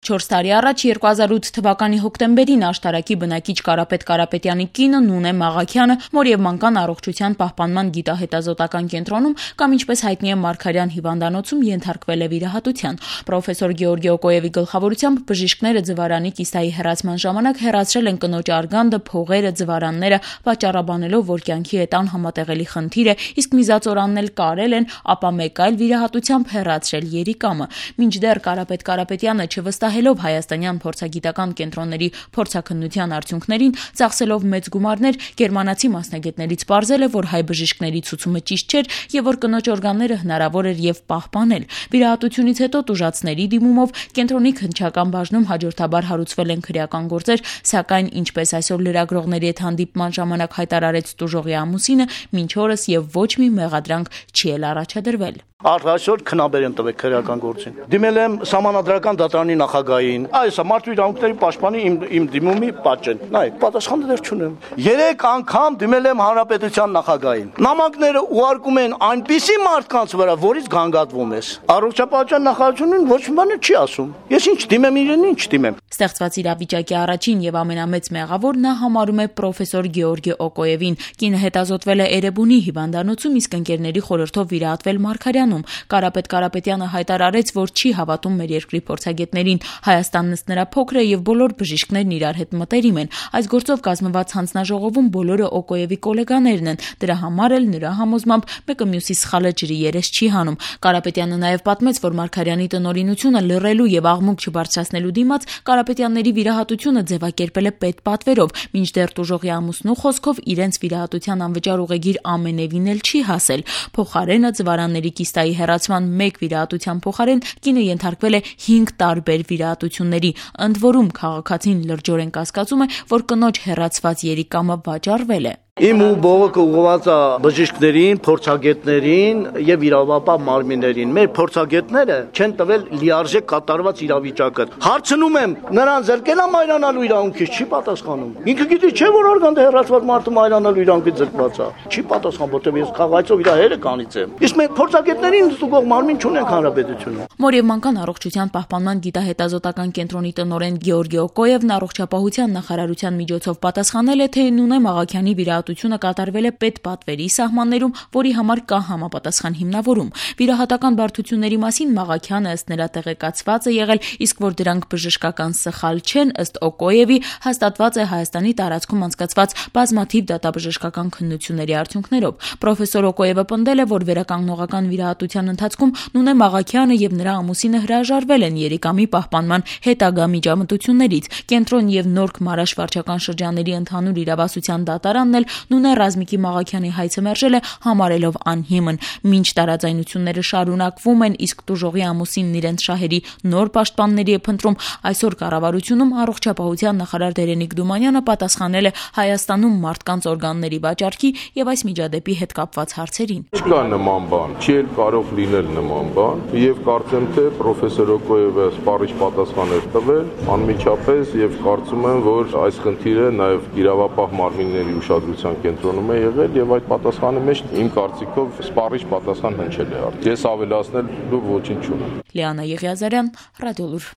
4 տարի առաջ 2008 թվականի հոկտեմբերին աշտարակի բնակիչ Կարապետ Կարապետյանի կինը Նունե Մաղաքյանը մոր եւ մանկան առողջության պահպանման գիտահետազոտական կենտրոնում կամ ինչպես հայտնի է Մարգարյան հիվանդանոցում ենթարկվել է վիրահատության։ Պրոֆեսոր Գեորգի Օկոևի գլխավորությամբ բժիշկները ձվարանի կիստայի հեռացման ժամանակ հեռացրել են կնոջ արգանդը, փողերը, ձվարանները, պատճառաբանելով, որ կյանքի հետան համատեղելի խնդիր է, իսկ միզածորանն էլ կարել են, ապա մեկ այլ վիրահատությամբ հեռացրել երիկամը։ Մինչդեռ Կարապետ Կարապետյանը չվստահելով հայաստանյան փորձագիտական կենտրոնների փորձաքննության արդյունքներին, ծախսելով մեծ գումարներ, գերմանացի մասնագետներից պարզել է, որ հայ բժիշկների ցուցումը ճիշտ չէր եւ որ կնոջ օրգանները հնարավոր էր եւ պահպանել։ Վիրահատությունից հետո տուժածների դիմումով կենտրոնի քննչական բաժնում հաջորդաբար հարուցվել են քրեական գործեր, սակայն ինչպես այսօր լրագրողների հետ հանդիպման ժամանակ հայտարարեց տուժողի ամուսինը, մինչ օրս եւ ոչ մի մեղադրանք չի էլ առաջադրվել։ Այսօր քնաբեր եմ տվել քրեական գործին։ Դիմել եմ Սահմանադրական դատարանի նախագահին, այս մարդու իրավունքների պաշտպանի իմ դիմումի պատճեն։ Նայեք, պատասխանը դեռ չունեմ։ 3 անգամ դիմել եմ Հանրապետության նախագահին։ Նամակները ուղարկում են այնպիսի մարդկանց վրա, որից գանգատվում ես։ Առողջապահության նախարարությունն ոչ մի բան չի ասում։ Ես ինչ դիմեմ իրեն, ինչ դիմեմ։ Ստեղծված իրավիճակի առաջին եւ ամենամեծ մեղավոր նա համարում է պրոֆեսոր Գեորգի Օկոևին։ Կինը հետազոտվել է Էրեբունի հիվանդանոցում, իսկ ընկերների խորհրդով վիրահատվել Մարգարյանում։ Կարապետ Կարապետյանը հայտարարեց, որ չի հավատում մեր երկրի փորձագետներին։ Հայաստանն ըստ նրա փոքր է եւ բոլոր բժիշկներն իրար հետ մտերիմ են։ Այս գործով կազմված հանձնաժողովում բոլորը Օկոևի գոլեգաներն են։ Դրա համար էլ նրա համոզմամբ մեկը մյուսի սխալը ջրի երես չի հանում։ Կարապետյանը նաեւ պատմեց, որ Մարգարյանի տնօրինությունը լռելու եւ աղմուկ չբարձրացնելու դիմաց Կարապետյանների վիրահատությունը ձևակերպել է պետպատվերով, մինչդեռ տուժողի ամուսնու խոսքով իրենց վիրահատության անվճար ուղեգիր ամենևին էլ չի հասել։ Փոխարենը ձվարանների կիստայի հեռացման մեկ վիրահատության փոխարեն կինը ենթարկվել է 5 տարբեր վիրահատությունների։ Ընդ որում քաղաքացին լրջորեն կասկածում է, որ կնոջ հեռացված երիկամը վաճառվել է։ Իմ ու բողոքը ուղղված է բժիշկներին, փորձագետներին եւ իրավապահ մարմիններին։ Մեր փորձագետները չեն տվել լիարժեք կատարված իրավիճակը։ Հարցնում եմ, նրան զրկել է մայրանալու իրավունքից, չի պատասխանում։ Ինքը գիտի չէ, որ արգանդը հեռացված մարդը մայրանալու իրավունքից զրկված է։ Չի պատասխան, որտեղ ես խաղայցով իր հերը կանից եմ։ Իսկ մենք փորձագետներին ստուգող մարմին չունենք հանրապետությունում։ Մոր եւ մանկան առողջության պահպանման գիտահետազոտական կենտրոնի տնօրեն Գեորգի Օկոևն առողջապահության նախարարության միջոցով պատասխանել է, թե Նունե Մաղաքյանի վիրահատությունը կատարվել է պետպատվերի սահմաններում, որի համար կա համապատասխան հիմնավորում։ Վիրահատական բարդությունների մասին Մաղաքյանը ըստ նրա տեղեկացված է եղել, իսկ որ դրանք բժշկական սխալ չեն, ըստ Օկոևի հաստատված է Հայաստանի տարածքում անցկացված բազմաթիվ դատաբժշկական քննությունների արդյունքներով։ Պրոֆեսոր Օկոևը պնդել է, որ վերականգնողական վիրահատության ընթացքում Նունե Մաղաքյանը եւ նրա ամուսինը հրաժարվել են երիկամի պահպանման հետագա միջամտություններից։ Կենտրոն եւ Նորք Մարաշ վարչական շրջանների ընդհանուր իրավասության դատարանն էլ Նունե Ռազմիկի Մաղաքյանի հայցը մերժել է, համարելով անհիմն։ Մինչ տարաձայնությունները շարունակվում են, իսկ տուժողի ամուսինն իրենց շահերի նոր պաշտպանների է փնտրում, այսօր կառավարությունում առողջապահության նախարար Դերենիկ Դումանյանը պատասխանել է Հայաստանում մարդկանց օրգանների վաճառքի եւ այս միջադեպի հետ կապված հարցերին։ Չկա նման բան, չի էլ կարող լինել նման բան, եւ կարծեմ թե պրոֆեսոր Օկոևը սպառիչ պատասխան էր տվել անմիջապես եւ կարծում եմ, որ այս խնդիրը նաեւ իրավապահ մարմինների ուշադրության կենտրոնում է եղել եւ այդ պատասխանի մեջ իմ կարծիքով սպառիչ պատասխան հնչել է։ Ես ավելացնելու ոչինչ չունեմ։ Լիանա Եղիազարյան, Ռադիոլուր։